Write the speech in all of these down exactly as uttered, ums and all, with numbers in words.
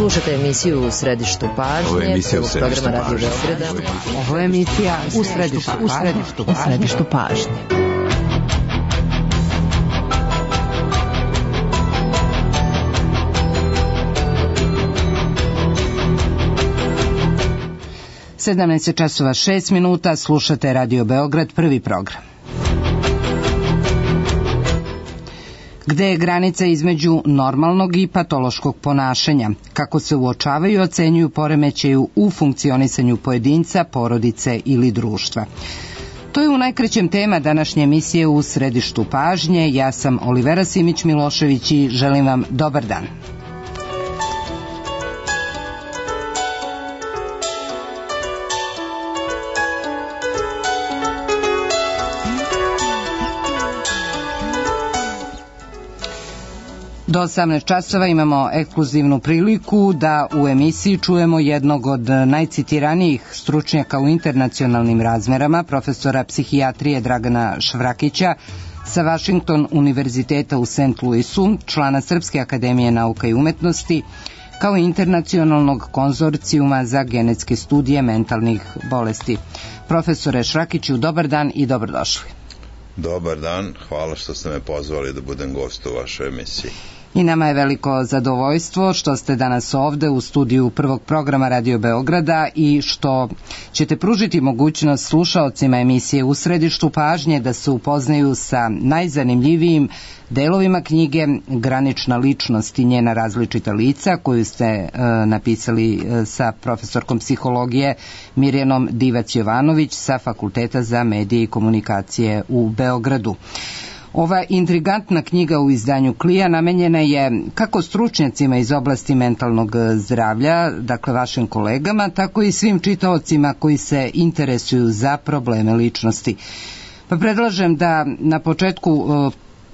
Slušajte emisiju U središtu pažnje. Ovo je emisija U središtu pažnje. Ovo je emisija U središtu pažnje. U središtu pažnje. sedamnaest časova šest minuta, slušate Radio Beograd, prvi program. Gde je granica između normalnog i patološkog ponašanja? Kako se uočavaju i ocenjuju poremećaju u funkcionisanju pojedinca, porodice ili društva? To je u najkraćem tema današnje emisije U središtu pažnje. Ja sam Olivera Simić-Milošević i želim vam dobar dan. Do osamnaest časova imamo ekskluzivnu priliku da u emisiji čujemo jednog od najcitiranijih stručnjaka u internacionalnim razmerama, profesora psihijatrije Dragana Švrakića sa Washington univerziteta u Saint Louisu, člana Srpske akademije nauka i umetnosti, kao i internacionalnog konzorcijuma za genetske studije mentalnih bolesti. Profesore Švrakiću, dobar dan i dobrodošli. Dobar dan, hvala što ste me pozvali da budem gost u vašoj emisiji. I nama je veliko zadovoljstvo što ste danas ovde u studiju prvog programa Radio Beograda i što ćete pružiti mogućnost slušaocima emisije U središtu pažnje da se upoznaju sa najzanimljivijim delovima knjige Granična ličnost i njena različita lica, koju ste e, napisali e, sa profesorkom psihologije Mirjanom Divac-Jovanović sa Fakulteta za medije i komunikacije u Beogradu. Ova intrigantna knjiga u izdanju Klija namenjena je kako stručnjacima iz oblasti mentalnog zdravlja, dakle vašim kolegama, tako i svim čitaocima koji se interesuju za probleme ličnosti. Pa predlažem da na početku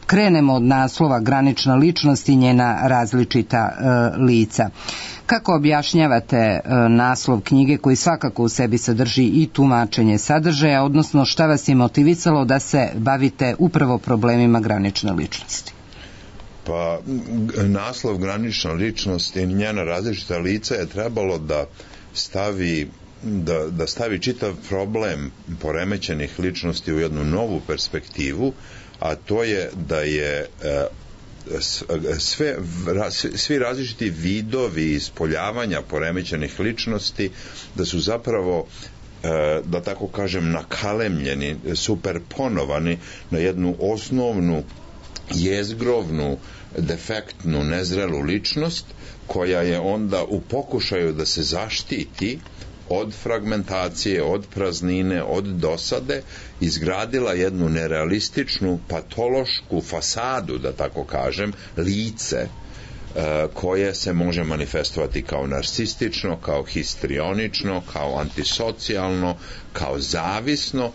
krenemo od naslova Granična ličnost i njena različita e, lica. Kako objašnjavate e, naslov knjige koji svakako u sebi sadrži i tumačenje sadržaja, odnosno šta vas je motivisalo da se bavite upravo problemima granične ličnosti? Pa, naslov Granična ličnost i njena različita lica je trebalo da stavi da, da stavi čitav problem poremećenih ličnosti u jednu novu perspektivu, a to je da je sve, svi različiti vidovi ispoljavanja poremećenih ličnosti, da su zapravo, da tako kažem, nakalemljeni, superponovani na jednu osnovnu, jezgrovnu, defektnu, nezrelu ličnost, koja je onda u pokušaju da se zaštiti od fragmentacije, od praznine, od dosade, izgradila jednu nerealističnu, patološku fasadu, da tako kažem, lice, koje se može manifestovati kao narcistično, kao histrionično, kao antisocijalno, kao zavisno.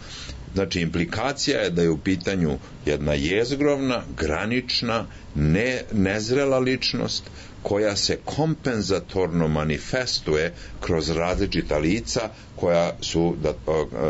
Znači, implikacija je da je u pitanju jedna jezgrovna, granična, ne, nezrela ličnost koja se kompenzatorno manifestuje kroz različita lica koja su, da,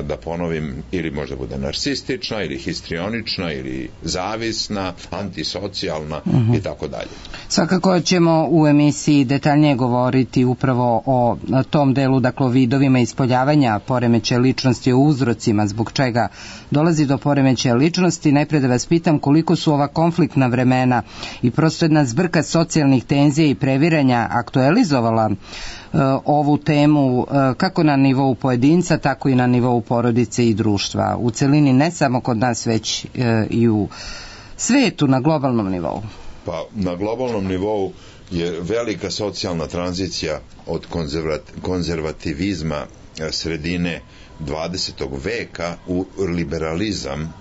da ponovim, ili možda bude narcistična, ili histrionična, ili zavisna, antisocijalna uh-huh. i tako dalje. Svakako ćemo u emisiji detaljnije govoriti upravo o tom delu, dakle o vidovima ispoljavanja poremećaja ličnosti, o uzrocima zbog čega dolazi do poremećaja ličnosti. Najpre da vas pitam koliko su ova konfliktna vremena i prosto jedna zbrka socijalnih tenzija i previranja aktualizovala e, ovu temu e, kako na nivou pojedinca, tako i na nivou porodice i društva. U celini ne samo kod nas, već e, i u svetu na globalnom nivou. Pa na globalnom nivou je velika socijalna tranzicija od konzervativizma sredine dvadesetog veka u liberalizam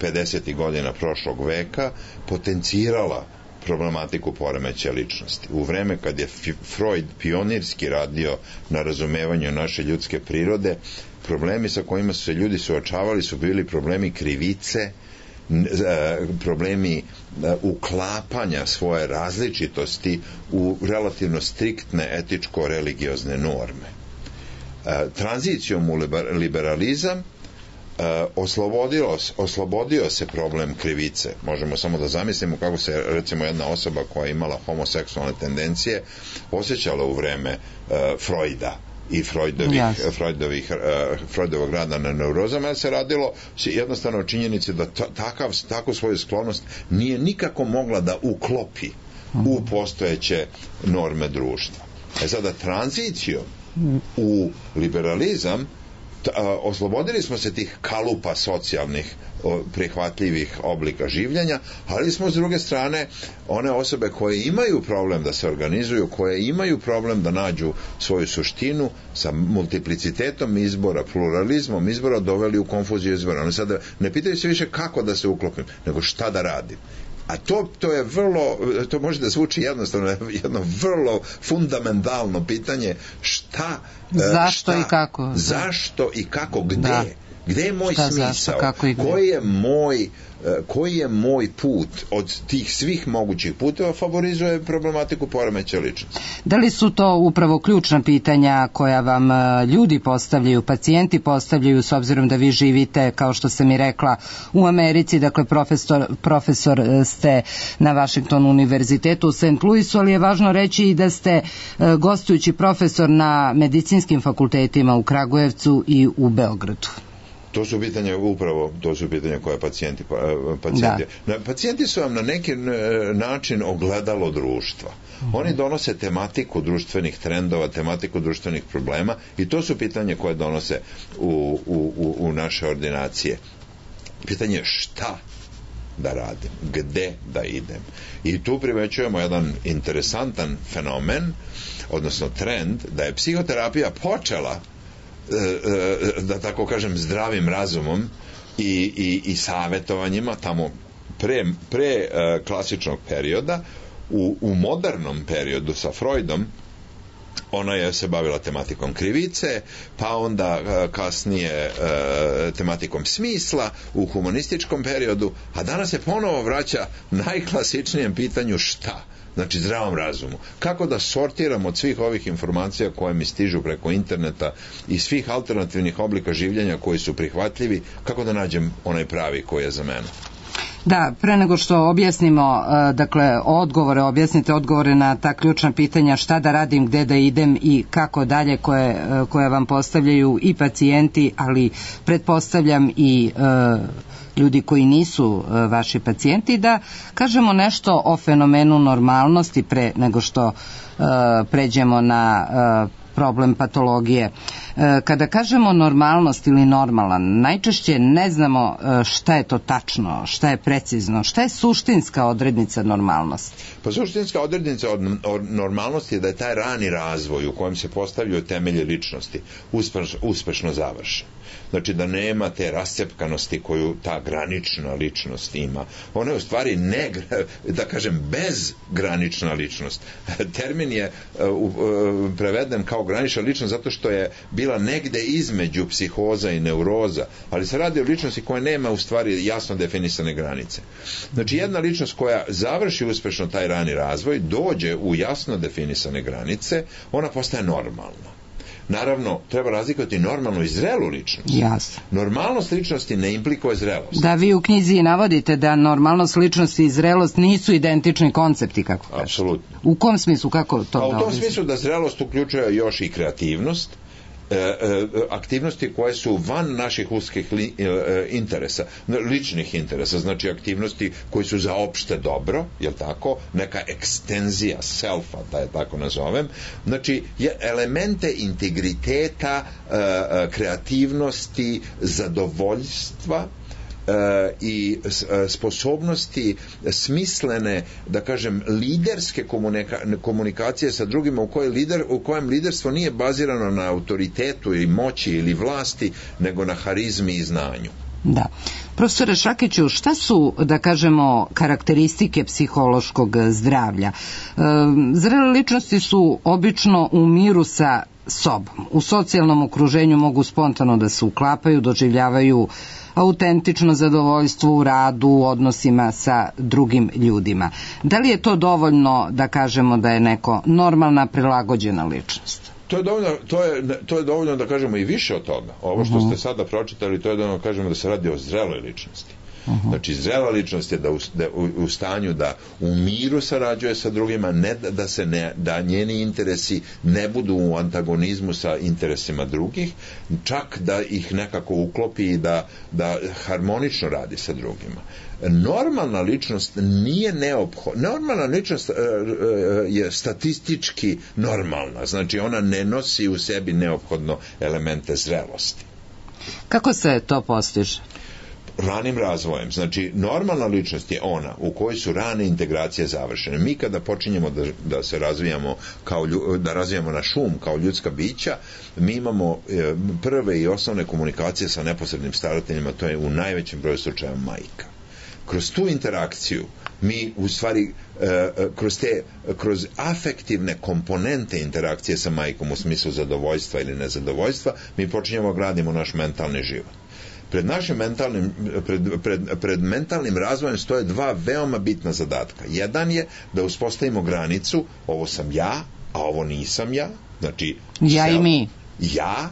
pedesetih godina prošlog veka potencirala problematiku poremećaja ličnosti. U vreme kad je Freud pionirski radio na razumevanju naše ljudske prirode, problemi sa kojima su se ljudi suočavali su bili problemi krivice, problemi uklapanja svoje različitosti u relativno striktne etičko-religiozne norme. Tranzicijom u liberalizam oslobodilo, oslobodio se problem krivice. Možemo samo da zamislimo kako se recimo jedna osoba koja je imala homoseksualne tendencije osjećala u vreme uh, Freuda i Freudovih, yes. Freudovih, uh, Freudovog rada na neurozama, jer se radilo jednostavno o činjenici da takav, takvu svoju sklonost nije nikako mogla da uklopi u postojeće norme društva. E sada tranzicijom u liberalizam oslobodili smo se tih kalupa socijalnih prihvatljivih oblika življenja, ali smo s druge strane one osobe koje imaju problem da se organizuju, koje imaju problem da nađu svoju suštinu sa multiplicitetom izbora, pluralizmom izbora doveli u konfuziju izbora. Oni sada ne pitaju se više kako da se uklopim, nego šta da radim. A to, to je vrlo, to može da zvuči jednostavno, jedno vrlo fundamentalno pitanje šta, zašto šta, i kako, zašto i kako, gde, da. Gde je moj šta, smisao, zašto, kako i gde. koji je moj koji je moj put od tih svih mogućih puteva favorizuje problematiku poremećaja ličnosti. Da li su to upravo ključna pitanja koja vam ljudi postavljaju, pacijenti postavljaju, s obzirom da vi živite, kao što sam i rekla, u Americi, dakle profesor, profesor ste na Washington univerzitetu u Saint Louisu, ali je važno reći i da ste gostujući profesor na medicinskim fakultetima u Kragujevcu i u Beogradu. To su pitanja upravo, to su pitanja koje pacijenti, pacijenti. Da. Pacijenti su vam na neki način ogledalo društva. Mm-hmm. Oni donose tematiku društvenih trendova, tematiku društvenih problema i to su pitanja koje donose u, u, u naše ordinacije. Pitanje šta da radim, gde da idem. I tu primećujemo jedan interesantan fenomen, odnosno trend, da je psihoterapija počela da tako kažem zdravim razumom i, i, i savjetovanjima tamo pre, pre uh, klasičnog perioda. U, u modernom periodu sa Freudom ona je se bavila tematikom krivice, pa onda uh, kasnije uh, tematikom smisla u humanističkom periodu, a danas se ponovo vraća najklasičnijem pitanju šta. Znači zdravom razumu. Kako da sortiram od svih ovih informacija koje mi stižu preko interneta i svih alternativnih oblika življenja koji su prihvatljivi, kako da nađem onaj pravi koji je za mene? Da, pre nego što objasnimo, dakle, odgovore, objasnite odgovore na ta ključna pitanja šta da radim, gde da idem i kako dalje, koje, koje vam postavljaju i pacijenti, ali pretpostavljam i e, ljudi koji nisu e, vaši pacijenti, da kažemo nešto o fenomenu normalnosti pre nego što e, pređemo na e, problem patologije. Kada kažemo normalnost ili normalan, najčešće ne znamo šta je to tačno, šta je precizno, šta je suštinska odrednica normalnosti. Pa suštinska odrednica od normalnosti je da je taj rani razvoj u kojem se postavljaju temelje ličnosti uspešno, uspešno završen. Znači da nema te rascepkanosti koju ta granična ličnost ima. Ona je u stvari ne, da kažem, bezgranična ličnost. Termin je uh, preveden kao granična ličnost zato što je bila negde između psihoza i neuroza, ali se radi o ličnosti koja nema u stvari jasno definisane granice. Znači jedna ličnost koja završi uspešno taj rani razvoj, dođe u jasno definisane granice, ona postaje normalna. Naravno, treba razlikovati normalnu i zrelu ličnost. Jasno. Normalnost ličnosti ne implikuje zrelost. Da, vi u knjizi navodite da normalnost ličnosti i zrelost nisu identični koncepti, kako kažete. Apsolutno. U kom smislu, kako to? Pa u tom smislu da zrelost uključuje još i kreativnost, aktivnosti koje su van naših uskih li, interesa, ličnih interesa, znači aktivnosti koji su za opšte dobro, je tako, neka ekstenzija selfa, da je tako nazovem, znači elemente integriteta, kreativnosti, zadovoljstva i sposobnosti smislene, da kažem, liderske komunika, komunikacije sa drugima u kojem, lider, u kojem liderstvo nije bazirano na autoritetu ili moći ili vlasti, nego na harizmi i znanju. Da. Profesore Šakiću, šta su, da kažemo, karakteristike psihološkog zdravlja? E, zrele ličnosti su obično u miru sa sobom. U socijalnom okruženju mogu spontano da se uklapaju, doživljavaju autentično zadovoljstvo u radu, u odnosima sa drugim ljudima. Da li je to dovoljno da kažemo da je neko normalna, prilagođena ličnost? To je dovoljno, to je, to je dovoljno da kažemo i više od toga. Ovo što ste sada pročitali, to je dovoljno da kažemo da se radi o zreloj ličnosti. Uh-huh. Znači, zrela ličnost je da u, da u, u stanju da u miru sarađuje sa drugima, ne da, da se ne, da njeni interesi ne budu u antagonizmu sa interesima drugih, čak da ih nekako uklopi i da, da harmonično radi sa drugima. Normalna ličnost nije neophodna. Normalna ličnost uh, uh, je statistički normalna, znači ona ne nosi u sebi neophodno elemente zrelosti. Kako se to postiže? Ranim razvojem. Znači, normalna ličnost je ona u kojoj su rane integracije završene. Mi kada počinjemo da, da se razvijamo kao, da razvijamo naš um kao ljudska bića, mi imamo e, prve i osnovne komunikacije sa neposrednim starateljima, to je u najvećem broju slučaja majka. Kroz tu interakciju mi u stvari e, kroz te kroz afektivne komponente interakcije sa majkom u smislu zadovoljstva ili nezadovoljstva mi počinjemo gradimo naš mentalni život. Pred našim mentalnim, pred, pred, pred mentalnim razvojem stoje dva veoma bitna zadatka. Jedan je da uspostavimo granicu, ovo sam ja, a ovo nisam ja. Znači, ja sel, i mi. Ja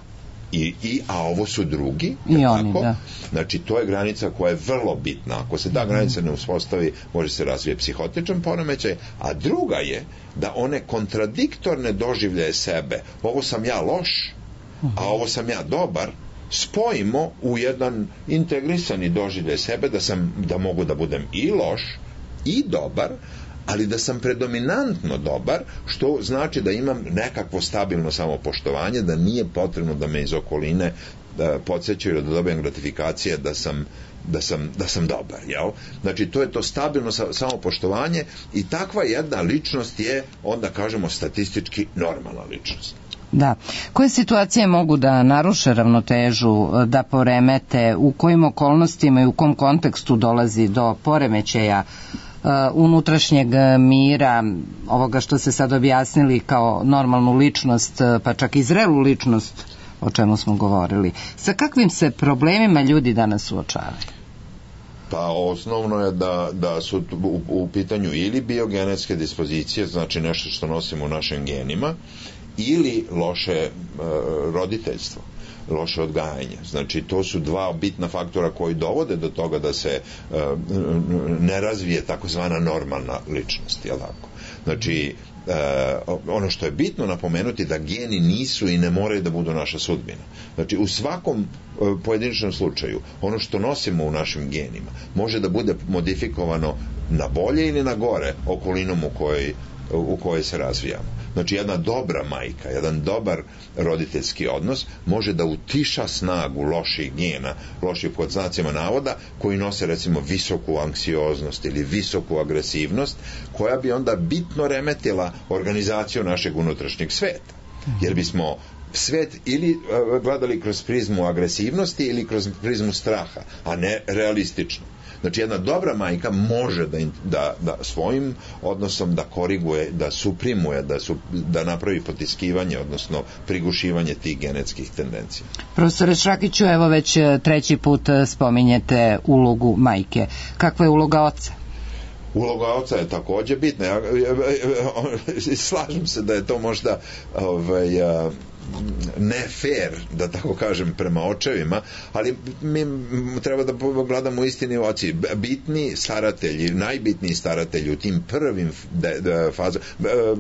i, i, a ovo su drugi. I oni, tako? Da. Znači, to je granica koja je vrlo bitna. Ako se ta granica ne uspostavi, može se razvije psihotičan poremećaj, a druga je da one kontradiktorne doživljaje sebe, ovo sam ja loš, a ovo sam ja dobar, spojimo u jedan integrisani doživljaj sebe da sam, da mogu da budem i loš i dobar, ali da sam predominantno dobar, što znači da imam nekakvo stabilno samopoštovanje, da nije potrebno da me iz okoline da podsjećaju da dobijem gratifikacije da sam da sam, da sam dobar, jel? Znači, to je to stabilno samopoštovanje i takva jedna ličnost je, onda kažemo, statistički normalna ličnost. Da. Koje situacije mogu da naruše ravnotežu, da poremete, u kojim okolnostima i u kom kontekstu dolazi do poremećaja uh, unutrašnjeg mira, ovoga što se sad objasnili kao normalnu ličnost, pa čak i zrelu ličnost, o čemu smo govorili. Sa kakvim se problemima ljudi danas suočavaju? Pa osnovno je da, da su u, u pitanju ili biogenetske dispozicije, znači nešto što nosimo u našim genima, ili loše e, roditeljstvo, loše odgajanje. Znači, to su dva bitna faktora koji dovode do toga da se e, ne razvije takozvana normalna ličnost, jel tako? Znači, e, ono što je bitno napomenuti da geni nisu i ne moraju da budu naša sudbina. Znači, u svakom e, pojedinačnom slučaju, ono što nosimo u našim genima može da bude modifikovano na bolje ili na gore okolinom u kojoj u kojoj se razvijamo. Znači, jedna dobra majka, jedan dobar roditeljski odnos može da utiša snagu loših gena, loših pod znacima navoda, koji nose recimo visoku anksioznost ili visoku agresivnost, koja bi onda bitno remetila organizaciju našeg unutrašnjeg sveta. Jer bismo svet ili gledali kroz prizmu agresivnosti ili kroz prizmu straha, a ne realistično. Znači, jedna dobra majka može da, da, da svojim odnosom da koriguje, da suprimuje, da, su, da napravi potiskivanje, odnosno prigušivanje tih genetskih tendencija. Profesore Šrakiću, evo već treći put spominjete ulogu majke. Kakva je uloga oca? Uloga oca je takođe bitna. Ja, ja, ja, slažem se da je to možda ovaj, ne fair, da tako kažem, prema očevima, ali mi treba da gledamo istini u oci. Bitni staratelji, najbitniji staratelji u tim prvim de, de, faza,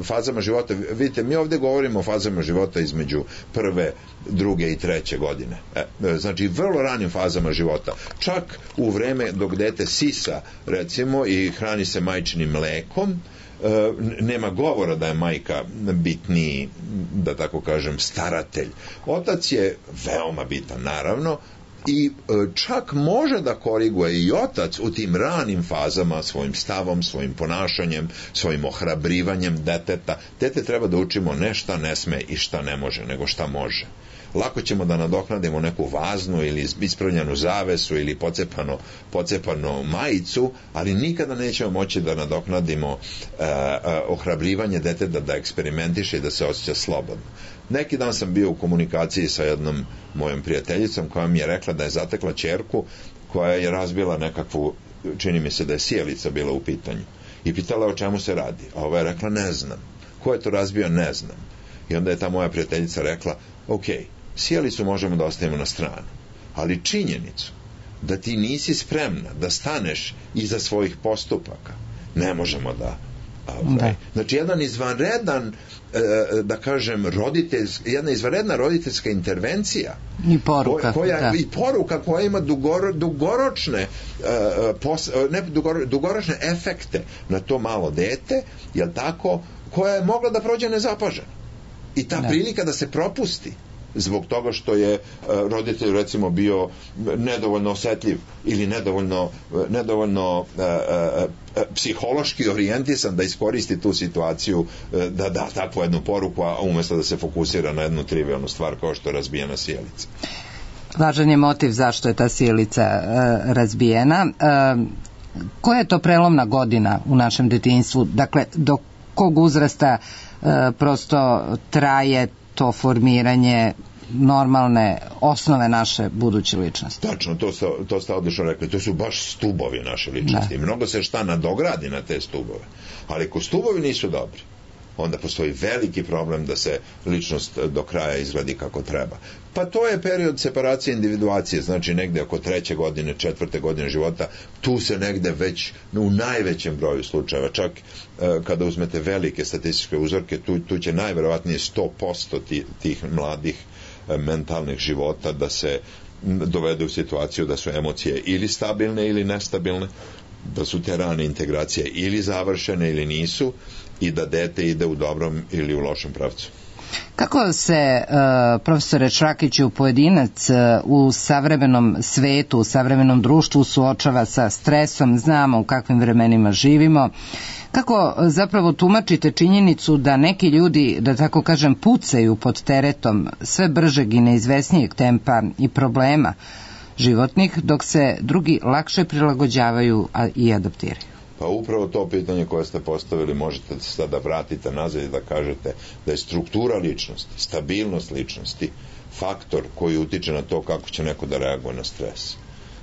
fazama života, vidite, mi ovde govorimo o fazama života između prve, druge i treće godine. E, znači, vrlo ranim fazama života. Čak u vreme dok dete sisa, recimo, i hrani se majčinim mlekom, E, nema govora da je majka bitniji, da tako kažem, staratelj. Otac je veoma bitan, naravno, i e, čak može da koriguje i otac u tim ranim fazama svojim stavom, svojim ponašanjem, svojim ohrabrivanjem deteta. Dete treba da učimo ne šta ne sme i šta ne može, nego šta može. Lako ćemo da nadoknadimo neku vaznu ili ispravljenu zavesu ili pocepano, pocepano majicu, ali nikada nećemo moći da nadoknadimo uh, uh, ohrabrivanje deteta da eksperimentiše i da se osjeća slobodno. Neki dan sam bio u komunikaciji sa jednom mojom prijateljicom koja mi je rekla da je zatekla ćerku koja je razbila nekakvu, čini mi se da je sjelica bila u pitanju. I pitala o čemu se radi. A ova je rekla, ne znam. Ko je to razbio, ne znam. I onda je ta moja prijateljica rekla, ok, sjelicu možemo da ostavimo na stranu, ali činjenicu da ti nisi spremna da staneš iza svojih postupaka ne možemo da, da. Znači jedan izvanredan da kažem roditeljska, jedna izvanredna roditeljska intervencija i poruka koja, da. i poruka koja ima dugoro, dugoročne pos, ne, dugoro, dugoročne efekte na to malo dete, jel tako, koja je mogla da prođe nezapažena i ta da. Prilika da se propusti zbog toga što je uh, roditelj recimo bio nedovoljno osetljiv ili nedovoljno, nedovoljno uh, uh, psihološki orijentisan da iskoristi tu situaciju, uh, da da takvu jednu poruku, a umjesto da se fokusira na jednu trivijalnu stvar kao što je razbijena sjelica. Važan je motiv zašto je ta sjelica uh, razbijena. Uh, koja je to prelomna godina u našem detinjstvu? Dakle, do kog uzrasta uh, prosto traje to formiranje normalne osnove naše buduće ličnosti? Tačno, to ste, to ste odlično rekli, to su baš stubovi naše ličnosti. Da. Mnogo se šta nadogradi na te stubove, ali ako stubovi nisu dobri, onda postoji veliki problem da se ličnost do kraja izgledi kako treba. Pa to je period separacije individuacije, znači negde oko treće godine, četvrte godine života, tu se negde već u najvećem broju slučajeva, čak e, kada uzmete velike statističke uzorke, tu, tu će najverovatnije sto posto tih, tih mladih e, mentalnih života da se dovede u situaciju da su emocije ili stabilne ili nestabilne, da su te rane integracije ili završene ili nisu, i da dete ide u dobrom ili u lošem pravcu. Kako se, uh, profesore Šrakiću, pojedinac uh, u savremenom svetu, u savremenom društvu suočava sa stresom, znamo u kakvim vremenima živimo, kako zapravo tumačite činjenicu da neki ljudi, da tako kažem, pucaju pod teretom sve bržeg i neizvesnijeg tempa i problema životnih, dok se drugi lakše prilagođavaju a i adaptiraju? Pa upravo to pitanje koje ste postavili možete sada vratiti nazad i da kažete da je struktura ličnosti, stabilnost ličnosti faktor koji utiče na to kako će neko da reaguje na stres.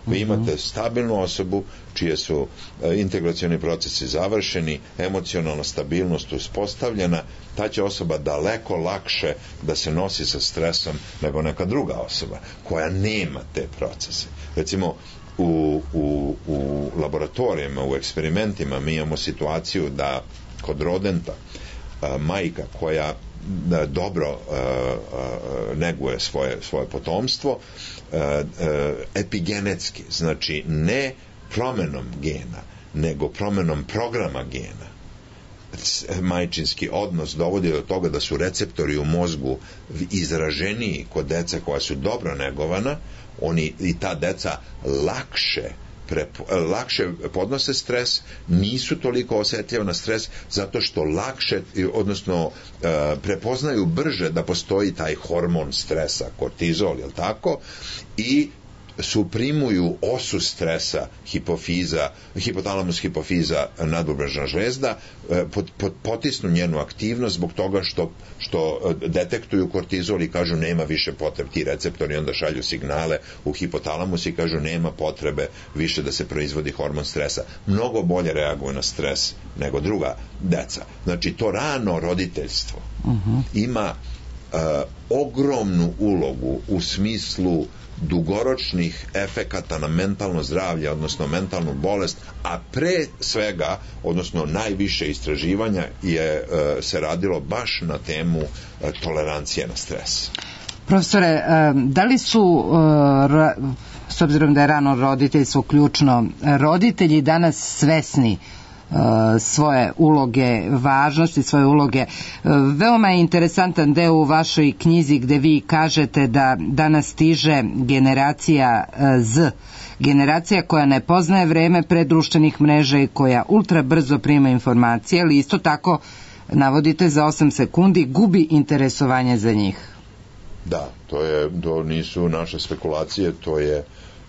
Vi imate stabilnu osobu čije su e, integracioni procesi završeni, emocionalna stabilnost uspostavljena, ta će osoba daleko lakše da se nosi sa stresom nego neka druga osoba koja nema te procese. Recimo, U, u, u laboratorijama, u eksperimentima mi imamo situaciju da kod rodenta a, majka koja da, dobro a, a, neguje svoje, svoje potomstvo a, a, epigenetski, znači ne promenom gena, nego promenom programa gena, majčinski odnos dovodi do toga da su receptori u mozgu izraženiji kod dece koja su dobro negovana, oni i ta deca lakše prepo, lakše podnose stres, nisu toliko osjetljivi na stres zato što lakše, odnosno prepoznaju brže da postoji taj hormon stresa, kortizol, jel tako, i suprimuju osu stresa hipofiza, hipotalamus hipofiza nadbubrežna žlezda, pot, pot, potisnu njenu aktivnost zbog toga što, što detektuju kortizol i kažu nema više potrebe, ti receptori onda šalju signale u hipotalamus i kažu nema potrebe više da se proizvodi hormon stresa. Mnogo bolje reaguju na stres nego druga deca. Znači to rano roditeljstvo uh-huh. ima uh, ogromnu ulogu u smislu dugoročnih efekata na mentalno zdravlje, odnosno mentalnu bolest, a pre svega, odnosno najviše istraživanja je se radilo baš na temu tolerancije na stres. Profesore, da li su, s obzirom da je rano roditeljstvo ključno, roditelji danas svesni svoje uloge, važnosti svoje uloge? Veoma je interesantan deo u vašoj knjizi gde vi kažete da danas stiže generacija Z, generacija koja ne poznaje vreme pre društvenih mreža i koja ultra brzo prima informacije, ali isto tako navodite za osam sekundi gubi interesovanje za njih. Da, to je, to nisu naše spekulacije, to je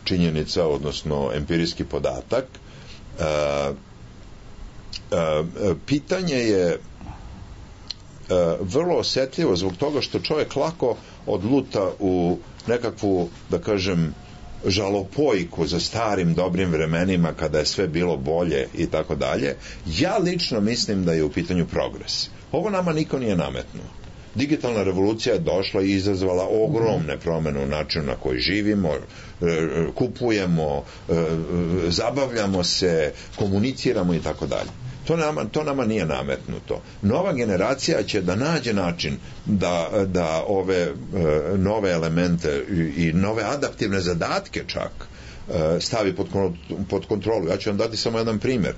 činjenica, odnosno empirijski podatak. Uh, Uh, pitanje je uh, vrlo osjetljivo zbog toga što čovjek lako odluta u nekakvu, da kažem, žalopojku za starim dobrim vremenima kada je sve bilo bolje i tako dalje. Ja lično mislim da je u pitanju progres. Ovo nama niko nije nametnuo. Digitalna revolucija je došla i izazvala ogromne promjene u načinu na koji živimo, kupujemo, zabavljamo se, komuniciramo i tako dalje. To nama, to nama nije nametnuto. Nova generacija će da nađe način da, da ove nove elemente i nove adaptivne zadatke čak stavi pod, pod kontrolu. Ja ću vam dati samo jedan primjer.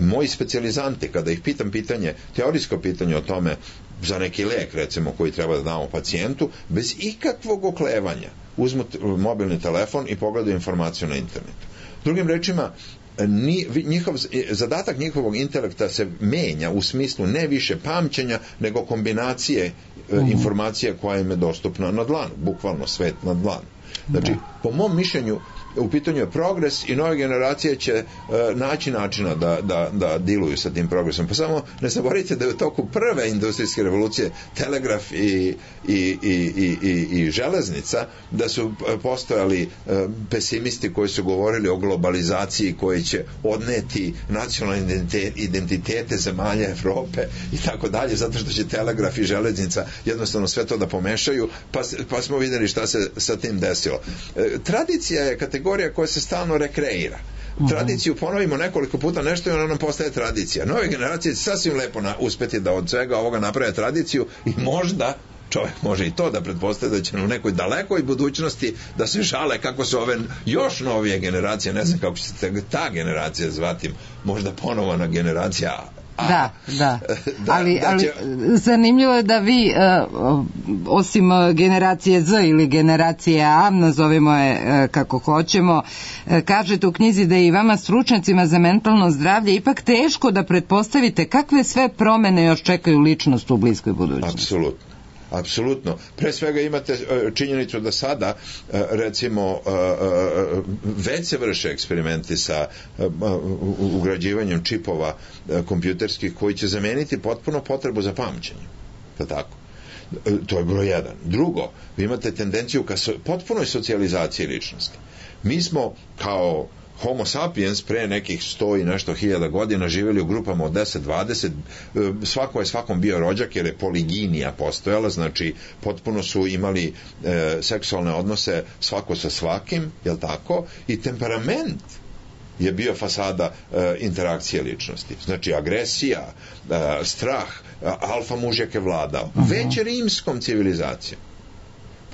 Moji specijalizanti, kada ih pitam pitanje, teorijsko pitanje o tome za neki lek, recimo, koji treba da damo pacijentu, bez ikakvog oklevanja uzmu mobilni telefon i pogledaju informaciju na internetu. Drugim rečima, Ni, njihov, zadatak njihovog intelekta se menja u smislu ne više pamćenja, nego kombinacije uh-huh. informacija koja im je dostupna na dlanu, bukvalno svet na dlanu. Znači, da. Po mom mišljenju, u pitanju je progres i nove generacije će uh, naći načina da, da, da diluju sa tim progresom. Pa samo ne zaboravite da je u toku prve industrijske revolucije telegraf i, i, i, i, i, i železnica, da su postojali uh, pesimisti koji su govorili o globalizaciji koji će odneti nacionalne identitete zemalja Evrope i tako dalje, zato što će telegraf i železnica jednostavno sve to da pomešaju, pa, pa smo vidjeli šta se sa tim desilo. Uh, tradicija je kategorija koja se stalno rekreira. Tradiciju ponovimo nekoliko puta nešto i ona nam postaje tradicija. Nove generacije će sasvim lepo na, uspeti da od svega ovoga naprave tradiciju i možda čovjek može i to da pretpostavi da će u nekoj dalekoj budućnosti da se žale kako su ove još novije generacije, ne znam kako će se ta generacija zvati, možda ponovana generacija A, da, da. da, ali, da će... ali zanimljivo je da vi uh, osim generacije Z ili generacije A, nazovimo je uh, kako hoćemo, uh, kažete u knjizi da je i vama stručnjacima za mentalno zdravlje ipak teško da pretpostavite kakve sve promene još čekaju ličnost u bliskoj budućnosti. Apsolutno. Apsolutno. Pre svega imate činjenicu da sada, recimo, već se vrše eksperimenti sa ugrađivanjem čipova kompjuterskih koji će zameniti potpuno potrebu za pamćenje. Pa tako. To je broj jedan. Drugo, vi imate tendenciju ka potpunoj socijalizaciji ličnosti. Mi smo kao Homo sapiens pre nekih sto i nešto hiljada godina živjeli u grupama od deset dvadeset, svako je svakom bio rođak jer je poliginija postojala, znači potpuno su imali e, seksualne odnose svako sa svakim, jel tako, i temperament je bio fasada e, interakcije ličnosti. Znači agresija, e, strah, alfa mužjak je vladao. Uh-huh. Već rimskom civilizacijom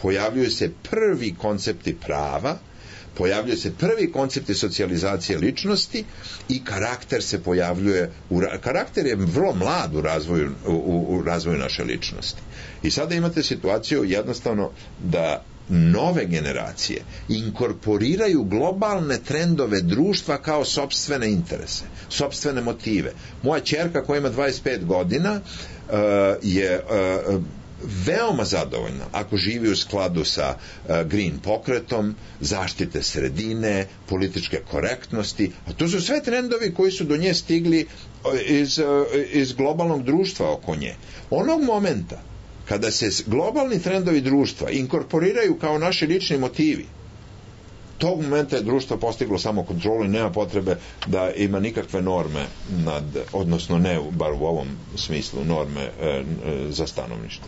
pojavljuju se prvi koncepti prava, pojavljuje se prvi koncepti socijalizacije ličnosti i karakter se pojavljuje u, karakter je vrlo mlad u razvoju, u, u razvoju naše ličnosti. I sada imate situaciju jednostavno da nove generacije inkorporiraju globalne trendove društva kao sopstvene interese, sopstvene motive. Moja ćerka koja ima dvadeset pet godina uh, je uh, veoma zadovoljna ako živi u skladu sa uh, green pokretom, zaštite sredine, političke korektnosti, a to su sve trendovi koji su do nje stigli iz, uh, iz globalnog društva oko nje. Onog momenta kada se globalni trendovi društva inkorporiraju kao naši lični motivi, tog momenta je društvo postiglo samo kontrolu i nema potrebe da ima nikakve norme nad, odnosno ne bar u ovom smislu norme e, e, za stanovništvo.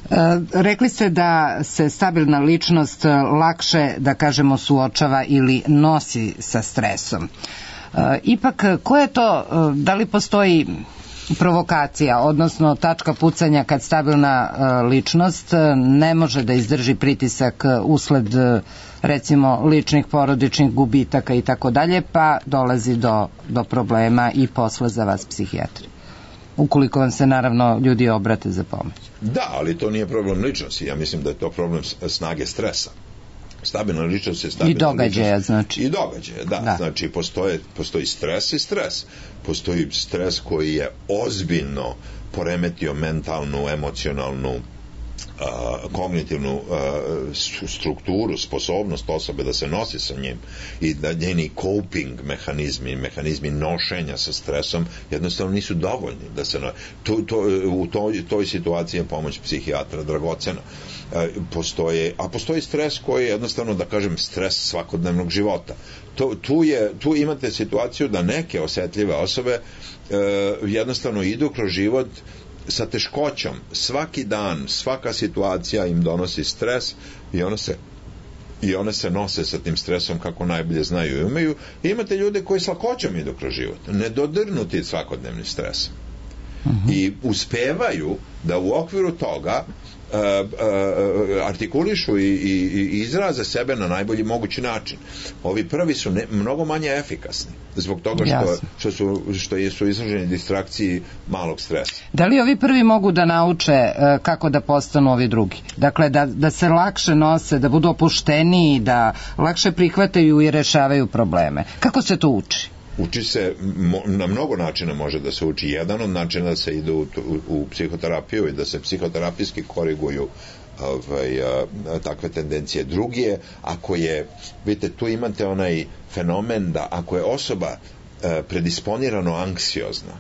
E, rekli ste da se stabilna ličnost lakše, da kažemo, suočava ili nosi sa stresom. E, ipak, ko je to, da li postoji provokacija, odnosno tačka pucanja kad stabilna uh, ličnost uh, ne može da izdrži pritisak uh, usled uh, recimo ličnih porodičnih gubitaka i tako dalje, pa dolazi do, do problema i posla za vas psihijatri. Ukoliko vam se naravno ljudi obrate za pomoć. Da, ali to nije problem ličnosti. Ja mislim da je to problem snage stresa. Stabilna ličnost je stabilna i događaja, ličnost. znači. I događaje, da. da. Znači, postoje, postoji stres i stres. Postoji stres koji je ozbiljno poremetio mentalnu, emocionalnu, Uh, kognitivnu uh, strukturu, sposobnost osobe da se nosi sa njim i da njeni coping mehanizmi, mehanizmi nošenja sa stresom jednostavno nisu dovoljni da se no... to, to, u toj, toj situaciji je pomoć psihijatra dragocena. Uh, postoje, a postoji stres koji je jednostavno, da kažem, stres svakodnevnog života. To, tu, je, tu imate situaciju da neke osetljive osobe uh, jednostavno idu kroz život sa teškoćom. Svaki dan, svaka situacija im donosi stres i one se i one se nose sa tim stresom kako najbolje znaju i umeju. I imate ljude koji s lakoćom idu kroz život, nedodirnuti svakodnevni stres. Uh-huh. I uspevaju da u okviru toga uh, uh, artikulišu i, i, i izraze sebe na najbolji mogući način. Ovi prvi su ne, mnogo manje efikasni zbog toga što, što, su, što su izloženi distrakciji malog stresa. Da li ovi prvi mogu da nauče uh, kako da postanu ovi drugi? Dakle, da, da se lakše nose, da budu opušteniji, da lakše prihvataju i rešavaju probleme. Kako se to uči? Uči se, na mnogo načina može da se uči. Jedan od načina da se ide u, u, u psihoterapiju i da se psihoterapijski koriguju ovaj, a, takve tendencije. Drugi je, ako je, vidite, tu imate onaj fenomen da ako je osoba a, predisponirano anksiozna,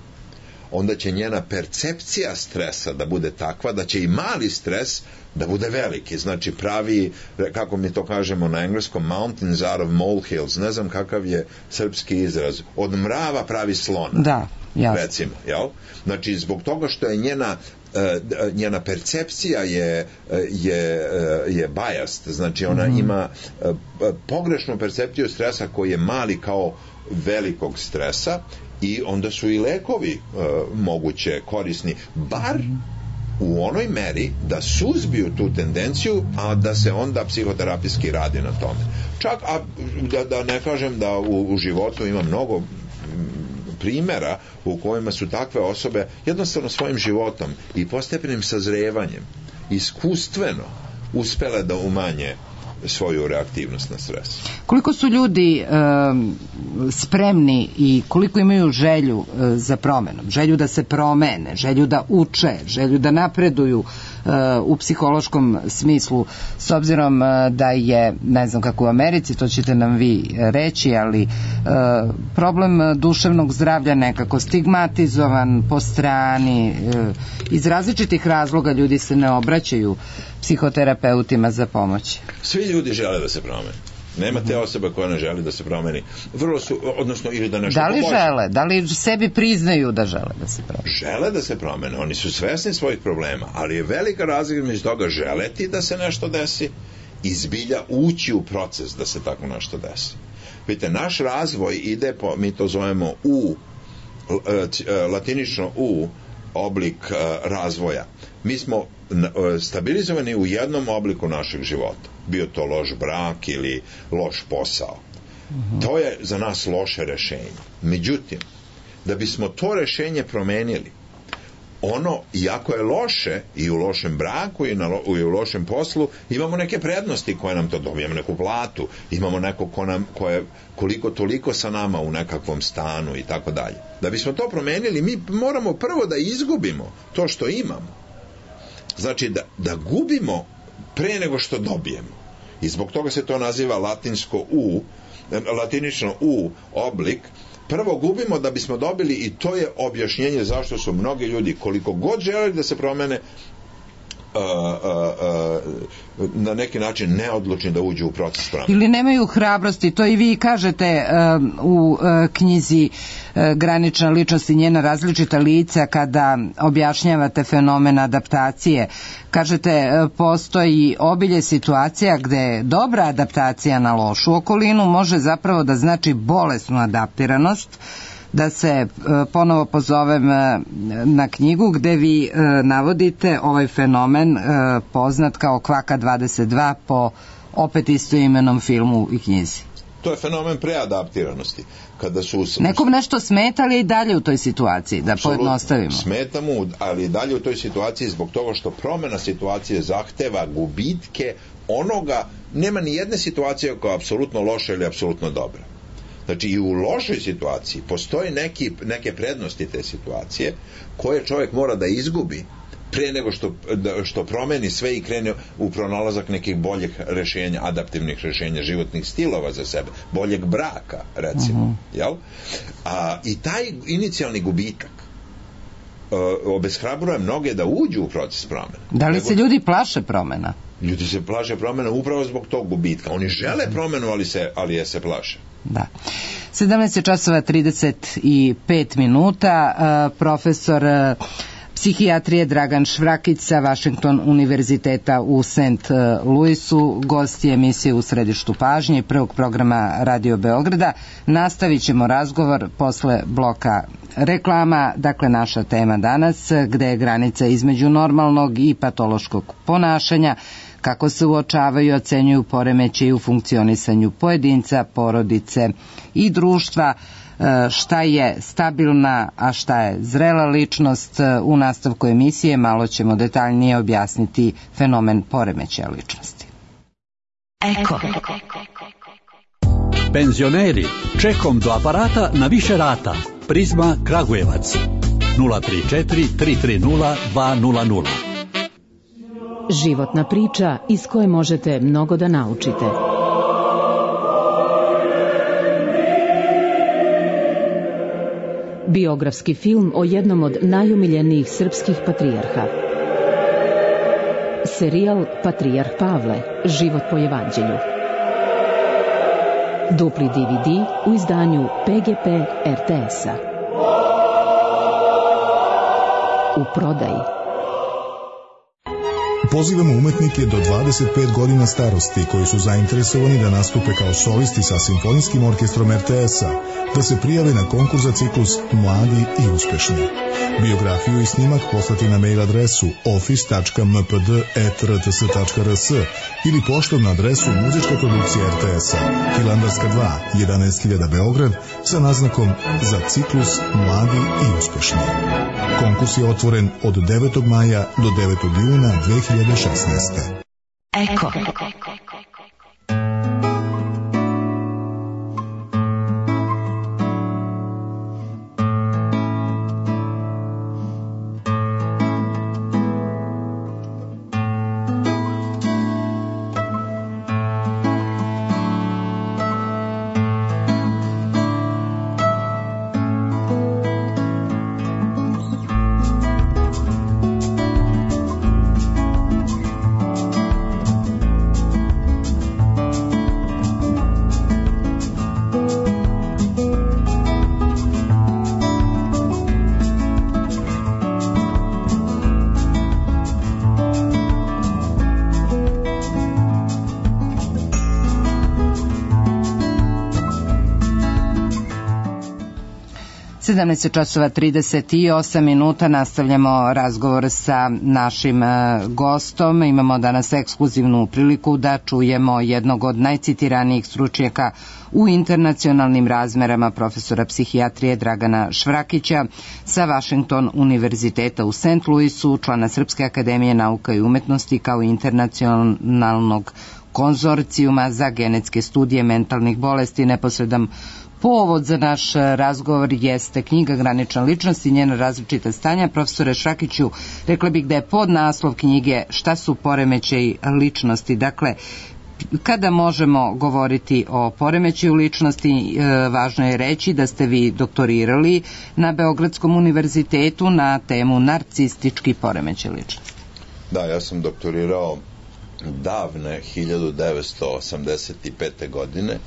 onda će njena percepcija stresa da bude takva da će i mali stres da bude veliki, znači pravi, kako mi to kažemo na engleskom, mountains out of molehills, ne znam kakav je srpski izraz, od mrava pravi slona. Da, jasno. Recimo, jel? Znači, zbog toga što je njena Uh, njena percepcija je, je, je biased, znači ona mm-hmm. ima uh, pogrešnu percepciju stresa koji je mali kao velikog stresa i onda su i lekovi uh, moguće korisni, bar mm-hmm. u onoj meri da suzbiju tu tendenciju, a da se onda psihoterapijski radi na tome. Čak, a da, da ne kažem da u, u životu ima mnogo primjera u kojima su takve osobe jednostavno svojim životom i postepenim sazrevanjem iskustveno uspele da umanje svoju reaktivnost na stres. Koliko su ljudi e, spremni i koliko imaju želju e, za promenom, želju da se promene, želju da uče, želju da napreduju e, u psihološkom smislu, s obzirom e, da je, ne znam kako u Americi, to ćete nam vi reći, ali e, problem duševnog zdravlja nekako stigmatizovan po strani, e, iz različitih razloga ljudi se ne obraćaju psihoterapeutima za pomoć. Svi ljudi žele da se promene. Nema te osobe koja ne želi da se promeni. Vrlo su, odnosno, ili da nešto Da li poboljša. žele? Da li sebi priznaju da žele da se promene? Žele da se promene. Oni su svesni svojih problema, ali je velika razlika među toga želeti da se nešto desi i zbilja ući u proces da se tako nešto desi. Vidite, naš razvoj ide po, mi to zovemo U, latinično U, oblik razvoja. Mi smo stabilizovani u jednom obliku našeg života. Bio to loš brak ili loš posao. Uh-huh. To je za nas loše rešenje. Međutim, da bismo to rešenje promenili, ono, iako je loše i u lošem braku i, na, i u lošem poslu, imamo neke prednosti koje nam to dobijemo, neku platu, imamo neko ko nam, ko je koliko toliko sa nama u nekakvom stanu i tako dalje. Da bismo to promenili, mi moramo prvo da izgubimo to što imamo. Znači da, da gubimo pre nego što dobijemo. I zbog toga se to naziva latinsko U, latinično U oblik. Prvo gubimo da bismo dobili, i to je objašnjenje zašto su mnogi ljudi, koliko god želeli da se promene, Uh, uh, uh, na neki način neodlučni da uđu u proces promene. Ili nemaju hrabrosti, to i vi kažete uh, u uh, knjizi uh, Granična ličnost i njena različita lica, kada objašnjavate fenomen adaptacije. Kažete, uh, postoji obilje situacija gde dobra adaptacija na lošu okolinu može zapravo da znači bolesnu adaptiranost. Da se ponovo pozovem na knjigu gde vi navodite ovaj fenomen poznat kao Kvaka dvadeset dva po opet istoimenom filmu i knjizi. To je fenomen preadaptiranosti. Kada su us... Nekom nešto smeta, ali i dalje u toj situaciji, da Absolutno. Pojednostavimo. Smeta mu, ali i dalje u toj situaciji zbog toga što promena situacije zahteva gubitke onoga, nema ni jedne situacije koja je apsolutno loša ili apsolutno dobra. Znači i u lošoj situaciji postoji neki, neke prednosti te situacije koje čovjek mora da izgubi pre nego što, da, što promeni sve i krene u pronalazak nekih boljih rešenja, adaptivnih rešenja, životnih stilova za sebe, boljeg braka recimo. Uh-huh. Jel? A, i taj inicijalni gubitak uh, obeshrabruje mnoge da uđu u proces promene. Da li nego... se ljudi plaše promena? Ljudi se plaše promena upravo zbog tog gubitka. Oni žele promenu, ali, se, ali je se plaše. Da. sedamnaest časova trideset pet minuta. Uh, profesor uh, psihijatrije Dragan Švrakić sa Washington univerziteta u Saint Louisu, gost je emisije U središtu pažnje prvog programa Radio Beograda. Nastavit ćemo razgovor posle bloka reklama. Dakle, naša tema danas, gde je granica između normalnog i patološkog ponašanja, kako se uočavaju i ocenjuju poremećaji u funkcionisanju pojedinca, porodice i društva, šta je stabilna, a šta je zrela ličnost. U nastavku emisije malo ćemo detaljnije objasniti fenomen poremećaja ličnosti. Eko. Penzioneri, čekom do aparata na više rata. Prizma Kragujevac nula tri četiri tri tri nula dva nula nula. Životna priča iz koje možete mnogo da naučite. Biografski film o jednom od najumiljenijih srpskih patrijarha. Serijal Patrijarh Pavle, život po evanđelju. Dupli D V D u izdanju P G P R T S-a. U prodaji. Pozivamo umetnike do dvadeset pet godina starosti koji su zainteresovani da nastupe kao solisti sa Simfonijskim orkestrom R T S-a, da se prijave na konkurs za ciklus Mladi i uspešni. Biografiju i snimak poslati na mail adresu office tačka m p d at r t s tačka r s ili poštom na adresu Muzička produkcija R T S-a, Hilandarska dva, jedanaest hiljada Beograd, sa naznakom za ciklus Mladi i uspešni. Konkurs je otvoren od devetog maja do devetog juna dve hiljade šesnaeste. Eko. sedamnaest časova trideset osam minuta, nastavljamo razgovor sa našim gostom. Imamo danas ekskluzivnu priliku da čujemo jednog od najcitiranijih stručnjaka u internacionalnim razmerama, profesora psihijatrije Dragana Švrakića sa Washington univerziteta u Saint Louisu, člana Srpske akademije nauka i umetnosti, kao internacionalnog konzorcijuma za genetske studije mentalnih bolesti. Neposredan povod za naš razgovor jeste knjiga Granična ličnost i njena različita stanja. Profesore Švrakiću, rekla bih da je podnaslov knjige Šta su poremećaji ličnosti. Dakle, kada možemo govoriti o poremećaju ličnosti, važno je reći da ste vi doktorirali na Beogradskom univerzitetu na temu narcistički poremećaj ličnosti. Da, ja sam doktorirao davne hiljadu devetsto osamdeset pete. godine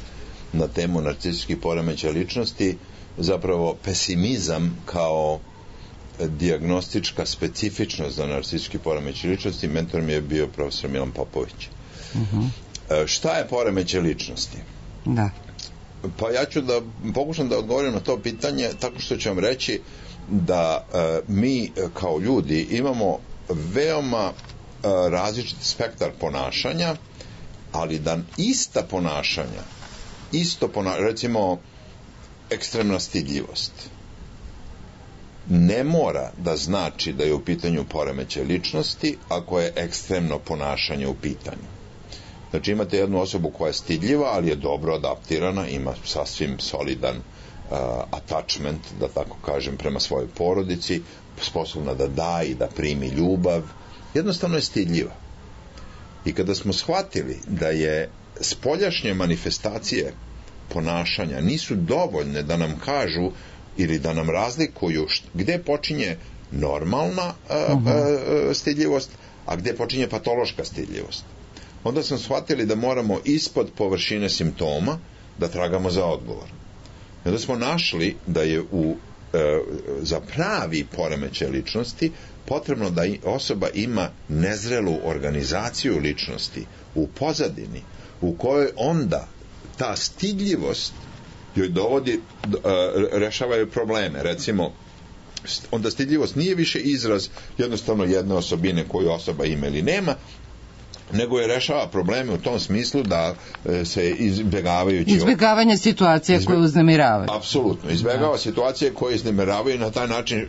na temu narcistički poremećaj ličnosti, zapravo pesimizam kao dijagnostička specifičnost za narcistički poremećaj ličnosti. Mentor mi je bio profesor Milan Popović. Uh-huh. Šta je poremećaj ličnosti? Da. Pa ja ću da pokušam da odgovorim na to pitanje tako što ću vam reći da e, mi kao ljudi imamo veoma e, različit spektar ponašanja, ali da ista ponašanja isto ponašanje, recimo ekstremna stidljivost, ne mora da znači da je u pitanju poremećaj ličnosti ako je ekstremno ponašanje u pitanju. Znači imate jednu osobu koja je stidljiva, ali je dobro adaptirana, ima sasvim solidan uh, attachment, da tako kažem, prema svojoj porodici, sposobna da da i da primi ljubav, jednostavno je stidljiva. I kada smo shvatili da je spoljašnje manifestacije ponašanja nisu dovoljne da nam kažu ili da nam razlikuju gde počinje normalna uh, uh, stidljivost, a gde počinje patološka stidljivost, onda smo shvatili da moramo ispod površine simptoma da tragamo za odgovor. I onda smo našli da je u za pravi poremećaj ličnosti potrebno da osoba ima nezrelu organizaciju ličnosti u pozadini, u kojoj onda ta stidljivost joj dovodi, rešavaju probleme. Recimo, onda stidljivost nije više izraz jednostavno jedne osobine koju osoba ima ili nema, nego je rešava probleme u tom smislu da se izbjegavajući... Izbjegavanje situacije Izbjeg... koje uznemiravaju. Apsolutno. Izbjegava da. situacije koje uznemiravaju i na taj način